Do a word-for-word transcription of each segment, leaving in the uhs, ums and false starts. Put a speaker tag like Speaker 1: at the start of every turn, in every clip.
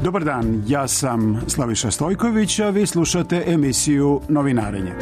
Speaker 1: Dobar dan, ja sam Slaviša Stojković, a vi slušate emisiju Novinarenje.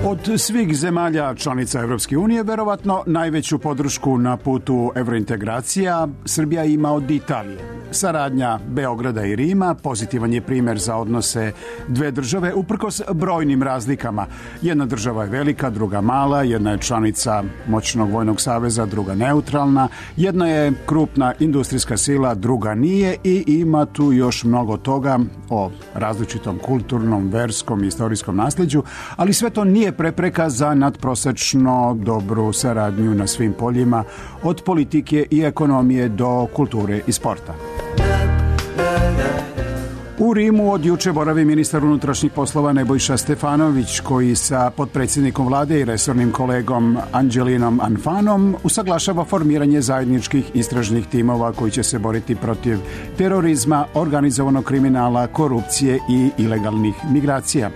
Speaker 1: Od svih zemalja članica Evropske unije, verovatno najveću podršku na putu evrointegracija Srbija ima od Italije. Saradnja Beograda i Rima pozitivan je primer za odnose dve države uprkos brojnim razlikama. Jedna država je velika, druga mala, jedna je članica moćnog vojnog saveza, druga neutralna, jedna je krupna industrijska sila, druga nije i ima tu još mnogo toga o različitom kulturnom, verskom i istorijskom nasleđu, ali sve to nije prepreka za nadprosečno dobru saradnju na svim poljima, od politike i ekonomije do kulture i sporta. U Rimu od juče boravi ministar unutrašnjih poslova Nebojša Stefanović, koji sa potpredsjednikom vlade i resornim kolegom Anđelinom Anfanom usaglašava formiranje zajedničkih istražnih timova koji će se boriti protiv terorizma, organizovanog kriminala, korupcije i ilegalnih migracija.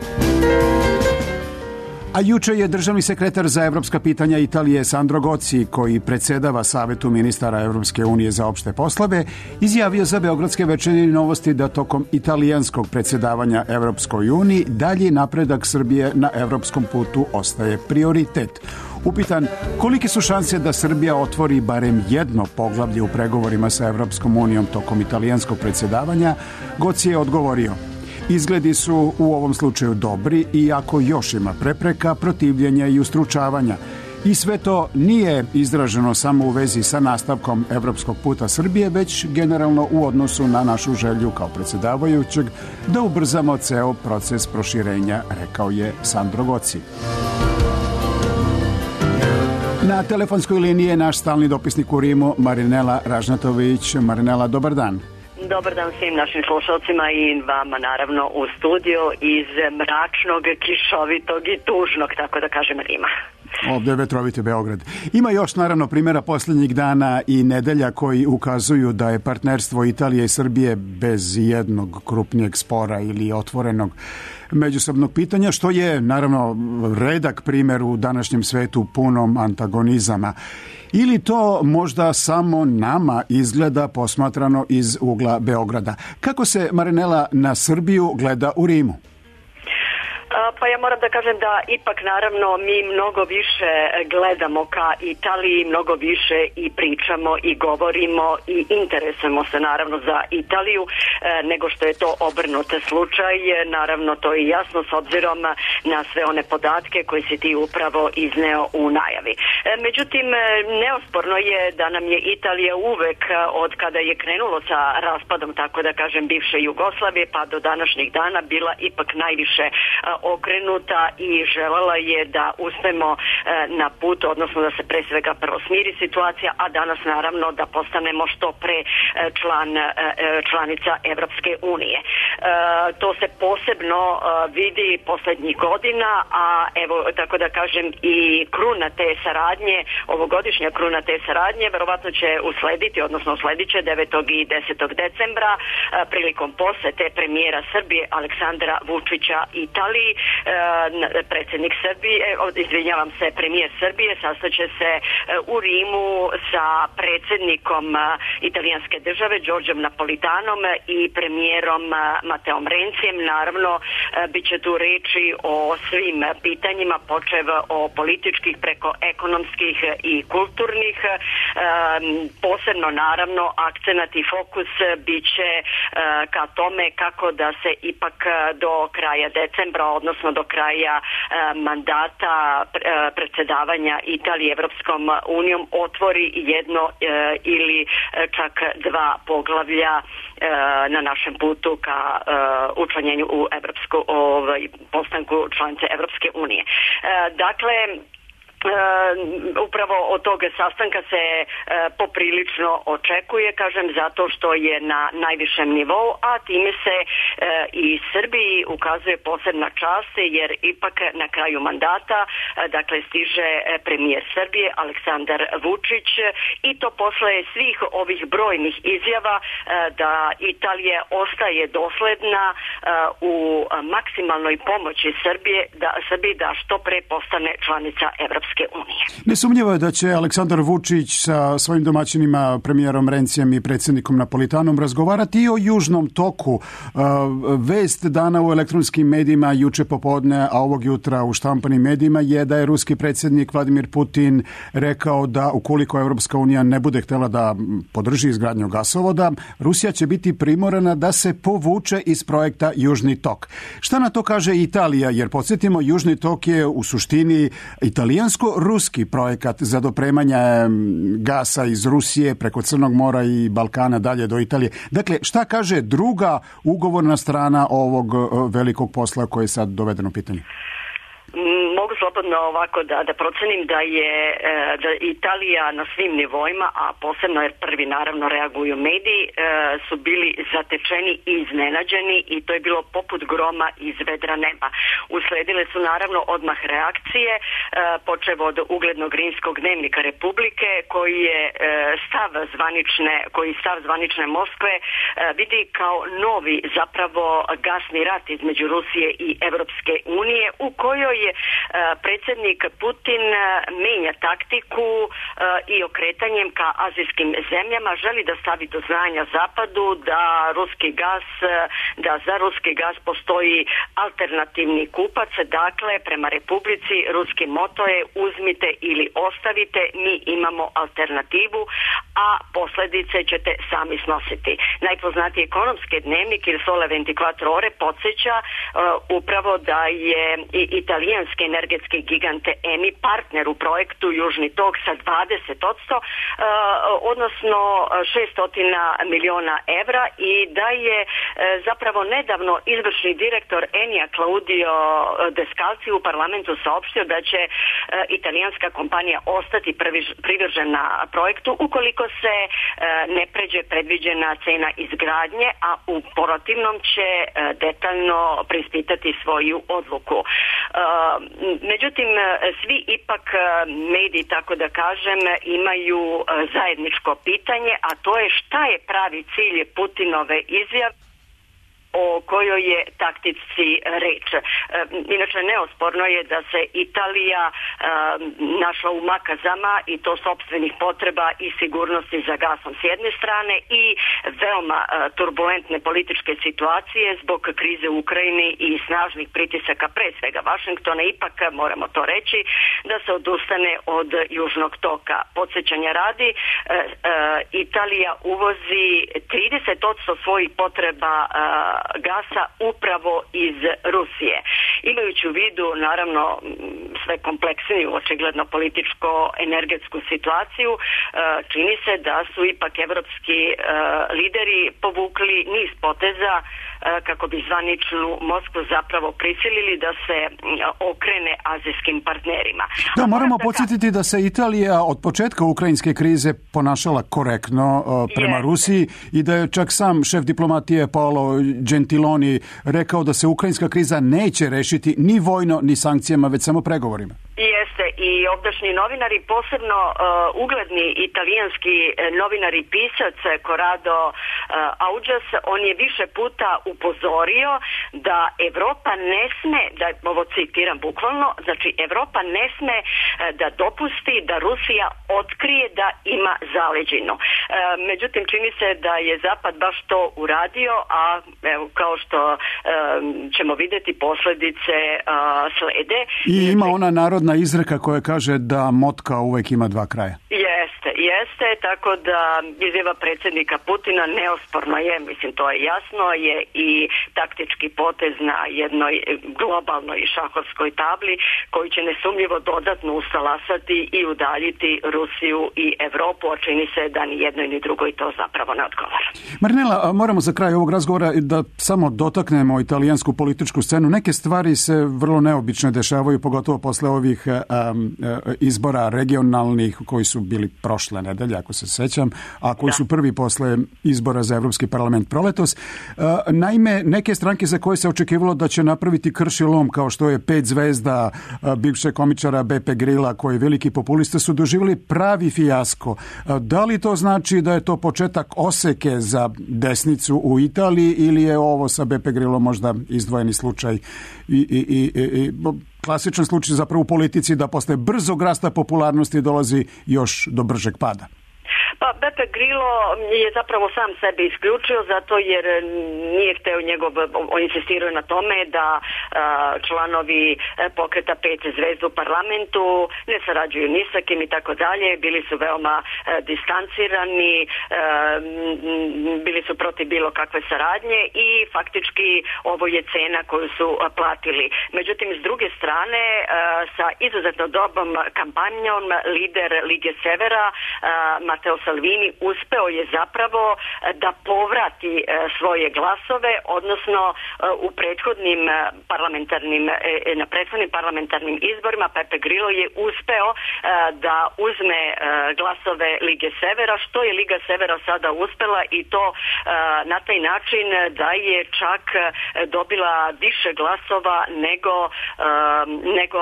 Speaker 1: A juče je državni sekretar za evropska pitanja Italije Sandro Gozi, koji predsedava Savetu ministara Evropske unije za opšte poslove, izjavio za Beogradske večernje novosti da tokom italijanskog predsedavanja Evropskoj uniji dalji napredak Srbije na evropskom putu ostaje prioritet. Upitan kolike su šanse da Srbija otvori barem jedno poglavlje u pregovorima sa Evropskom unijom tokom italijanskog predsedavanja, Gozi je odgovorio: izgledi su u ovom slučaju dobri, iako još ima prepreka, protivljenja i ustručavanja. I sve to nije izraženo samo u vezi sa nastavkom evropskog puta Srbije, već generalno u odnosu na našu želju kao predsjedavajućeg da ubrzamo ceo proces proširenja, rekao je Sandro Gozi. Na telefonskoj liniji je naš stalni dopisnik u Rimu, Marinela Ražnatović. Marinela, dobar dan.
Speaker 2: Dobar dan svim našim slušalcima i vama naravno u studiju iz mračnog, kišovitog i tužnog, tako da kažem, Rima.
Speaker 1: Ovdje je vetroviti Beograd. Ima još naravno primjera posljednjih dana i nedelja koji ukazuju da je partnerstvo Italije i Srbije bez jednog krupnijeg spora ili otvorenog međusobnog pitanja, što je naravno redak primjer u današnjem svetu punom antagonizama. Ili to možda samo nama izgleda posmatrano iz ugla Beograda? Kako se, Marinela, na Srbiju gleda u Rimu?
Speaker 2: Pa ja moram da kažem da ipak naravno mi mnogo više gledamo ka Italiji, mnogo više i pričamo i govorimo i interesujemo se naravno za Italiju nego što je to obrnut slučaj. Naravno to je jasno s obzirom na sve one podatke koje si ti upravo izneo u najavi. Međutim, neosporno je da nam je Italija uvek od kada je krenulo sa raspadom, tako da kažem, bivše Jugoslavije pa do današnjih dana bila ipak najviše okrenuta i želela je da uspemo na put, odnosno da se pre svega prvo smiri situacija, a danas naravno da postanemo što pre član, članica Evropske unije. To se posebno vidi poslednjih godina, a evo, tako da kažem, i kruna te saradnje, ovogodišnja kruna te saradnje verovatno će uslediti, odnosno usledit će devetog i desetog decembra prilikom posete premijera Srbije Aleksandra Vučića Italiji. Predsjednik Srbije, izvinjavam se, premijer Srbije sastaće se u Rimu sa predsjednikom italijanske države Đorđom Napolitanom i premijerom Mateom Rencijem. Naravno, bit će tu reči o svim pitanjima, počev o političkih preko ekonomskih i kulturnih. Posebno naravno akcenat i fokus bit će ka tome kako da se ipak do kraja decembra, odnosno do kraja mandata predsjedavanja Italije Evropskom unijom otvori jedno ili čak dva poglavlja na našem putu ka učlanjenju u Evropsku, ovaj, postanku članice Evropske unije. Dakle, Uh, upravo od tog sastanka se uh, poprilično očekuje, kažem, zato što je na najvišem nivou, a time se uh, i Srbiji ukazuje posebna čast, jer ipak na kraju mandata uh, dakle stiže premijer Srbije Aleksandar Vučić i to posle svih ovih brojnih izjava uh, da Italija ostaje dosledna uh, u maksimalnoj pomoći Srbije da, Srbiji da što pre postane članica Evropske Evropske unije.
Speaker 1: Nesumnjivo je da će Aleksandar Vučić sa svojim domaćinima, premijerom Rencijem i predsjednikom Napolitanom razgovarati i o Južnom toku. Vest dana u elektronskim medijima juče popodne, a ovog jutra u štampanim medijima je da je ruski predsjednik Vladimir Putin rekao da ukoliko Evropska unija ne bude htjela da podrži izgradnju gasovoda, Rusija će biti primorana da se povuče iz projekta Južni tok. Šta na to kaže Italija? Jer podsjetimo, Južni tok je u suštini italijansko-ruski projekat za dopremanje gasa iz Rusije preko Crnog mora i Balkana dalje do Italije. Dakle, šta kaže druga ugovorna strana ovog velikog posla koji je sad dovedeno u pitanje?
Speaker 2: Mogu slobodno ovako da, da procenim da je da Italija na svim nivoima, a posebno jer prvi naravno reaguju mediji, su bili zatečeni i iznenađeni i to je bilo poput groma iz vedra neba. Usledile su naravno odmah reakcije, počev od uglednog rimskog dnevnika Republike koji je stav zvanične, koji stav zvanične Moskve vidi kao novi zapravo gasni rat između Rusije i Evropske unije, u kojoj je predsjednik Putin menja taktiku i okretanjem ka azijskim zemljama želi da stavi do znanja Zapadu da ruski gas, da za ruski gas postoji alternativni kupac, dakle prema Republici ruski moto je uzmite ili ostavite, mi imamo alternativu, a posljedice ćete sami snositi. Najpoznatiji ekonomski dnevnik Il Sole dvadeset četiri ore podsjeća uh, upravo da je i italijanski energetski gigante Eni partner u projektu Južni tok sa dvadeset posto, uh, odnosno šesto miliona evra, i da je uh, zapravo nedavno izvršni direktor Enija Claudio Descalzi u parlamentu saopštio da će uh, italijanska kompanija ostati privržena projektu ukoliko se uh, ne pređe predviđena cena izgradnje, a u protivnom će uh, detaljno preispitati svoju odluku. Uh, međutim, svi ipak mediji, tako da kažem, imaju zajedničko pitanje, a to je šta je pravi cilj Putinove izjave o kojoj je taktici reč. Inače, neosporno je da se Italija našla u makazama i to sopstvenih potreba i sigurnosti za gasom s jedne strane i veoma turbulentne političke situacije zbog krize u Ukrajini i snažnih pritisaka pre svega Vašingtona. Ipak moramo to reći da se odustane od Južnog toka. Podsjećanja radi, Italija uvozi trideset posto svojih potreba gasa upravo iz Rusije. Imajući u vidu naravno sve kompleksniju očigledno političko-energetsku situaciju, čini se da su ipak evropski lideri povukli niz poteza kako bi zvaničnu Moskvu zapravo prisilili da se okrene azijskim partnerima.
Speaker 1: Da, moramo podsjetiti da se Italija od početka ukrajinske krize ponašala korektno prema Jeste. Rusiji i da je čak sam šef diplomatije Paolo Gentiloni rekao da se ukrajinska kriza neće rešiti ni vojno ni sankcijama, već samo pregovorima.
Speaker 2: Jeste, i ovdašnji novinari, posebno uh, ugledni italijanski novinar i pisac Corrado uh, Augias, on je više puta upozorio da Evropa ne sme, da ovo citiram bukvalno, znači Evropa ne sme uh, da dopusti da Rusija otkrije da ima zaleđinu. Uh, međutim, čini se da je Zapad baš to uradio, a evo, kao što uh, ćemo vidjeti, posljedice uh, slede.
Speaker 1: I ima ona narodna izreka koja kaže da motka uvek ima dva kraja.
Speaker 2: Jeste, jeste, tako da izjava predsjednika Putina neosporno je, mislim to je jasno, je i taktički potez na jednoj globalnoj šahovskoj tabli koji će nesumljivo dodatno usalasati i udaljiti Rusiju i Evropu, a čini se da ni jednoj ni drugoj to zapravo ne odgovara.
Speaker 1: Marinela, moramo za kraj ovog razgovora da samo dotaknemo italijansku političku scenu. Neke stvari se vrlo neobično dešavaju, pogotovo posle ovih um, izbora regionalnih koji su bili prošle nedelje, ako se sećam, a koji da. su prvi posle izbora za Evropski parlament proletos. Uh, naime, neke stranke za koje se očekivalo da će napraviti krši lom, kao što je Pet zvezda uh, bivšeg komičara Beppe Grilla, koji je veliki populista, su doživjeli pravi fijasko. Uh, da li to znači da je to početak oseke za desnicu u Italiji ili je ovo sa Beppe Grillom možda izdvojeni slučaj i, i, i, i klasičan slučaj zapravo u politici da posle brzog rasta popularnosti dolazi još do bržeg pada.
Speaker 2: Pa Beppe Grillo je zapravo sam sebe isključio zato jer nije hteo njegov, on insistirao na tome da a, članovi pokreta pet zvezda u parlamentu ne sarađuju ni sa kim i tako dalje, bili su veoma a, distancirani, a, bili su protiv bilo kakve saradnje i faktički ovo je cena koju su a, platili. Međutim, s druge strane, a, sa izuzetno dobrom kampanjom lider Lige Severa, a, Matteo Salvini uspeo je zapravo da povrati svoje glasove, odnosno u prethodnim parlamentarnim, na prethodnim parlamentarnim izborima Beppe Grillo je uspeo da uzme glasove Lige Severa, što je Liga Severa sada uspela i to na taj način da je čak dobila više glasova nego, nego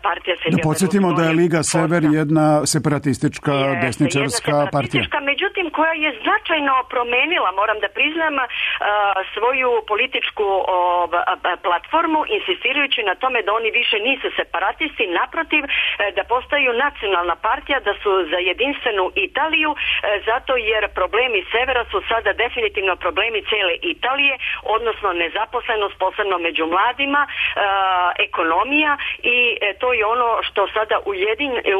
Speaker 2: partija Silvija Berlusconi.
Speaker 1: Da podsjetimo da je Liga Sever jedna separatistička desničarska partija.
Speaker 2: Međutim, koja je značajno promenila, moram da priznam, svoju političku platformu, insistirajući na tome da oni više nisu separatisti, naprotiv, da postaju nacionalna partija, da su za jedinstvenu Italiju, zato jer problemi severa su sada definitivno problemi cele Italije, odnosno nezaposlenost, posebno među mladima, ekonomija i to je ono što sada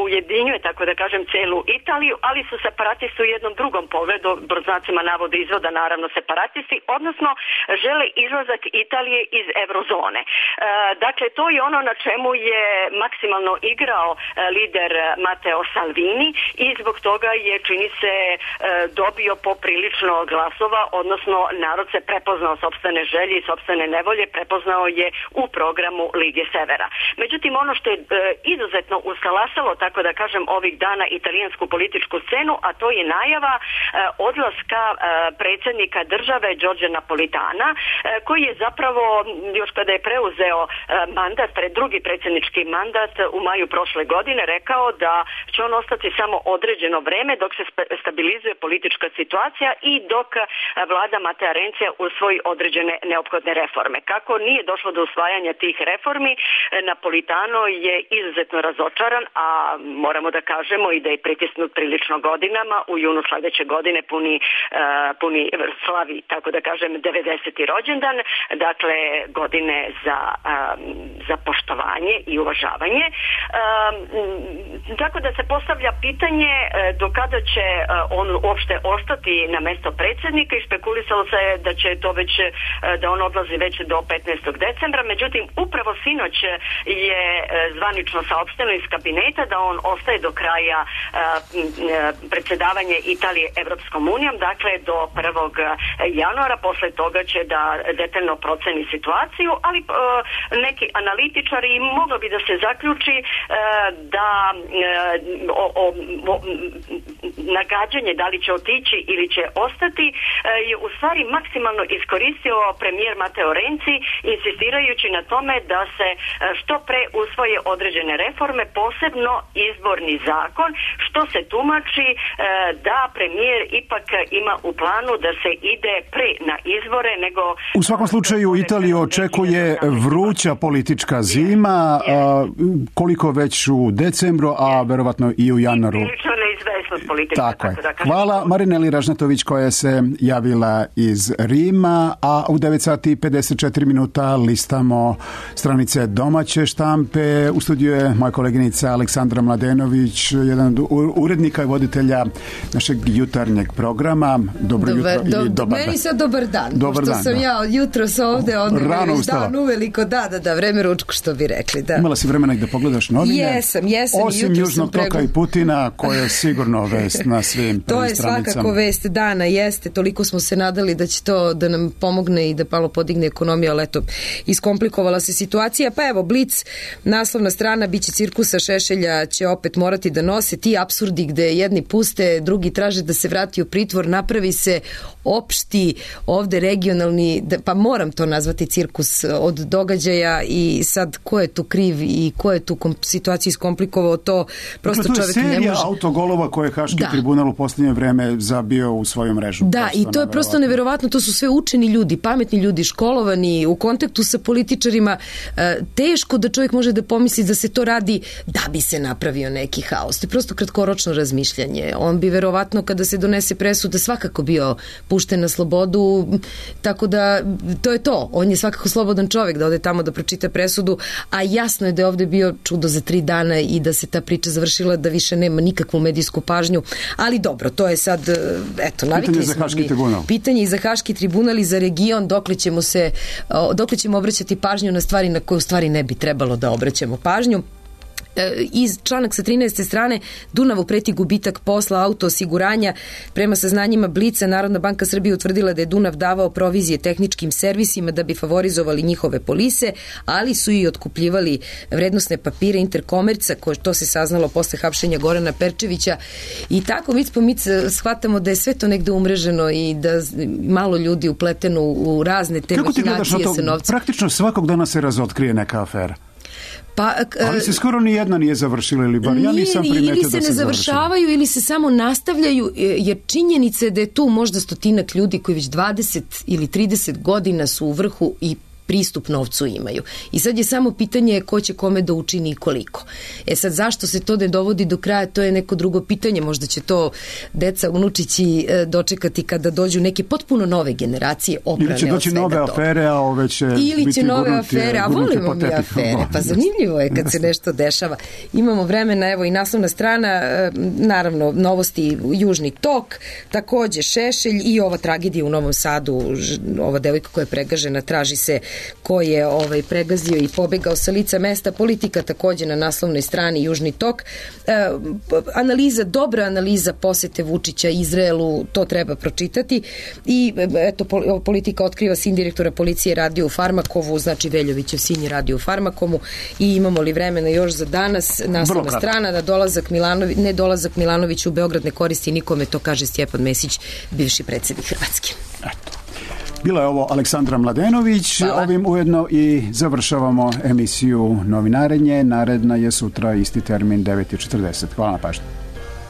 Speaker 2: ujedinjuje, tako da kažem, celu Italiju, ali su separatisti u jednom drugom pogledu, brznacima navode izvoda, naravno separatisti, odnosno žele izlazak Italije iz eurozone. E, dakle, to je ono na čemu je maksimalno igrao e, lider Matteo Salvini i zbog toga je, čini se, e, dobio poprilično glasova, odnosno narod se prepoznao sopstvene želje i sopstvene nevolje, prepoznao je u programu Lige Severa. Međutim, ono što je e, izuzetno uskalasalo, tako da kažem, ovih dana italijansku političku scenu, a to je najava e, odlaska e, predsjednika države Giorgia Napolitana, e, koji je zapravo još kada je preuzeo e, mandat, pred drugi predsjednički mandat u maju prošle godine, rekao da će on ostati samo određeno vreme dok se stabilizuje politička situacija i dok e, vlada Matea Renzija usvoji određene neophodne reforme. Kako nije došlo do usvajanja tih reformi, e, Napolitano je izuzetno razočaran, a moramo da kažemo i da je pritisnut prilično godinama. U junu sljedeće godine puni, uh, puni slavi, tako da kažem, devedeseti rođendan, dakle godine za, um, za poštovanje i uvažavanje. Um, tako da se postavlja pitanje uh, do kada će uh, on uopšte ostati na mesto predsjednika i špekulisalo se da će to već, uh, da on odlazi već do petnaestog decembra, međutim upravo sinoć je uh, zvanično saopšteno iz kabineta da on ostaje do kraja uh, predsjedavanje Italije Evropskom unijom, dakle do prvog januara, posle toga će da detaljno proceni situaciju, ali e, neki analitičari moglo bi da se zaključi e, da e, o, o, o, nagađanje da li će otići ili će ostati e, je u stvari maksimalno iskoristio premijer Matteo Renzi, insistirajući na tome da se što pre usvoje određene reforme, posebno izborni zakon, što se tumači e, da premijer ipak ima u planu da se ide pre na izbore nego...
Speaker 1: U svakom slučaju Italiju očekuje vruća politička zima, a, koliko već u decembru, a verovatno i u januaru. Tako je. Hvala Marineli Ražnatović koja se javila iz Rima, a u devet sati i pedeset četiri minuta listamo stranice domaće štampe. U studiju je moja koleginica Aleksandra Mladenović, jedan od urednika i voditelja našeg jutarnjeg programa. Dobro
Speaker 3: dobar,
Speaker 1: jutro
Speaker 3: do,
Speaker 1: ili dobar
Speaker 3: meni sad dobar dan,
Speaker 1: dobar
Speaker 3: pošto
Speaker 1: dan,
Speaker 3: sam
Speaker 1: da.
Speaker 3: ja od jutros ovde, onda
Speaker 1: Rano
Speaker 3: već
Speaker 1: ustala.
Speaker 3: dan uveliko, da, da, da, vreme ručku, što bi rekli, da.
Speaker 1: Imala si vremena i da pogledaš novine?
Speaker 3: Jesam, jesam.
Speaker 1: Osim Južnog toka pregu... i Putina, koja je sigurno vest na svim
Speaker 3: to je
Speaker 1: stranicama.
Speaker 3: svakako vest dana, jeste, toliko smo se nadali da će to da nam pomogne i da malo podigne ekonomiju, ali eto, iskomplikovala se situacija. Pa evo, Blic, naslovna strana, biće cirkusa, Šešelja će opet morati da nose, ti apsurdi gde jedni puste, drugi traže da se vrati u pritvor, napravi se opšti ovde regionalni, pa moram to nazvati cirkus od događaja i sad ko je tu kriv i ko je tu kom, situaciju iskomplikovao, to prosto
Speaker 1: dakle,
Speaker 3: čovjek ne može.
Speaker 1: To je serija autogolova koje je Haški
Speaker 3: da.
Speaker 1: tribunal u posljednje vreme zabio u svoju mrežu.
Speaker 3: Da,
Speaker 1: prosto
Speaker 3: i to je prosto neverovatno, to su sve učeni ljudi, pametni ljudi, školovani, u kontaktu sa političarima, teško da čovjek može da pomisli da se to radi da bi se napravio neki haos. To je prosto kratkoročno razmišljanje. On bi verovatno kada se donese presuda svakako bio pušten na slobodu, tako da to je to. On je svakako slobodan čovjek da ode tamo da pročita presudu, a jasno je da je ovde bio čudo za tri dana i da se ta priča završila, da više nema nikakvu medijsku pažnju, ali dobro, to je sad, eto, navikli smo mi. Pitanje i za Haški tribunal i za region, dokle ćemo se, dokle ćemo obraćati pažnju na stvari na koje u stvari ne bi trebalo da obraćamo pažnju. Iz članak sa trinaeste strane, Dunavu preti gubitak posla auto osiguranja. Prema saznanjima Blica, Narodna banka Srbije utvrdila da je Dunav davao provizije tehničkim servisima da bi favorizovali njihove polise, ali su i otkupljivali vrednosne papire Interkomerca, koje to se saznalo posle hapšenja Gorana Perčevića. I tako mi smo mi shvatamo da je sve to negde umreženo i da malo ljudi upleteno u razne te mahinacije sa novcem.
Speaker 1: Praktično svakog dana se razotkrije neka afera.
Speaker 3: Pa,
Speaker 1: ali se skoro ni jedna nije završila ili bar ja nisam primetio da se završila. Ili se ne završavaju ili se samo nastavljaju, jer činjenica je da je tu možda stotinak ljudi koji već dvadeset ili trideset godina su u vrhu i pristup novcu imaju. I sad je samo pitanje ko će kome da učini i koliko. E sad, zašto se to ne dovodi do kraja, to je neko drugo pitanje. Možda će to deca, unučići dočekati kada dođu neke potpuno nove generacije oprane od svega toga. Ili će doći nove afere, a ove će Ili biti će nove gurnuti, afere, a volimo mi afere. Pa zanimljivo je kad se nešto dešava. Imamo vremena, evo i naslovna strana, naravno, novosti Južni tok, takođe Šešelj i ova tragedija u Novom Sadu, ova devojka koja je pregažena, traži se ko je ovaj, pregazio i pobegao sa lica mesta. Politika takođe na naslovnoj strani Južni tok. E, analiza, dobra analiza posete Vučića Izraelu, to treba pročitati. I eto, Politika otkriva sin direktora policije radio u Farmakovu, znači Veljovićev sin je radio u Farmakomu. I imamo li vremena još za danas? Naslovna strana da dolazak Milanović, ne dolazak Milanović u Beograd ne koristi nikome, to kaže Stjepan Mesić, bivši predsjednik Hrvatske. Eto. Bila je ovo Aleksandra Mladenović. Hvala. Ovim ujedno i završavamo emisiju Novinarenje. Naredna je sutra isti termin devet i četrdeset. Hvala na pažnju.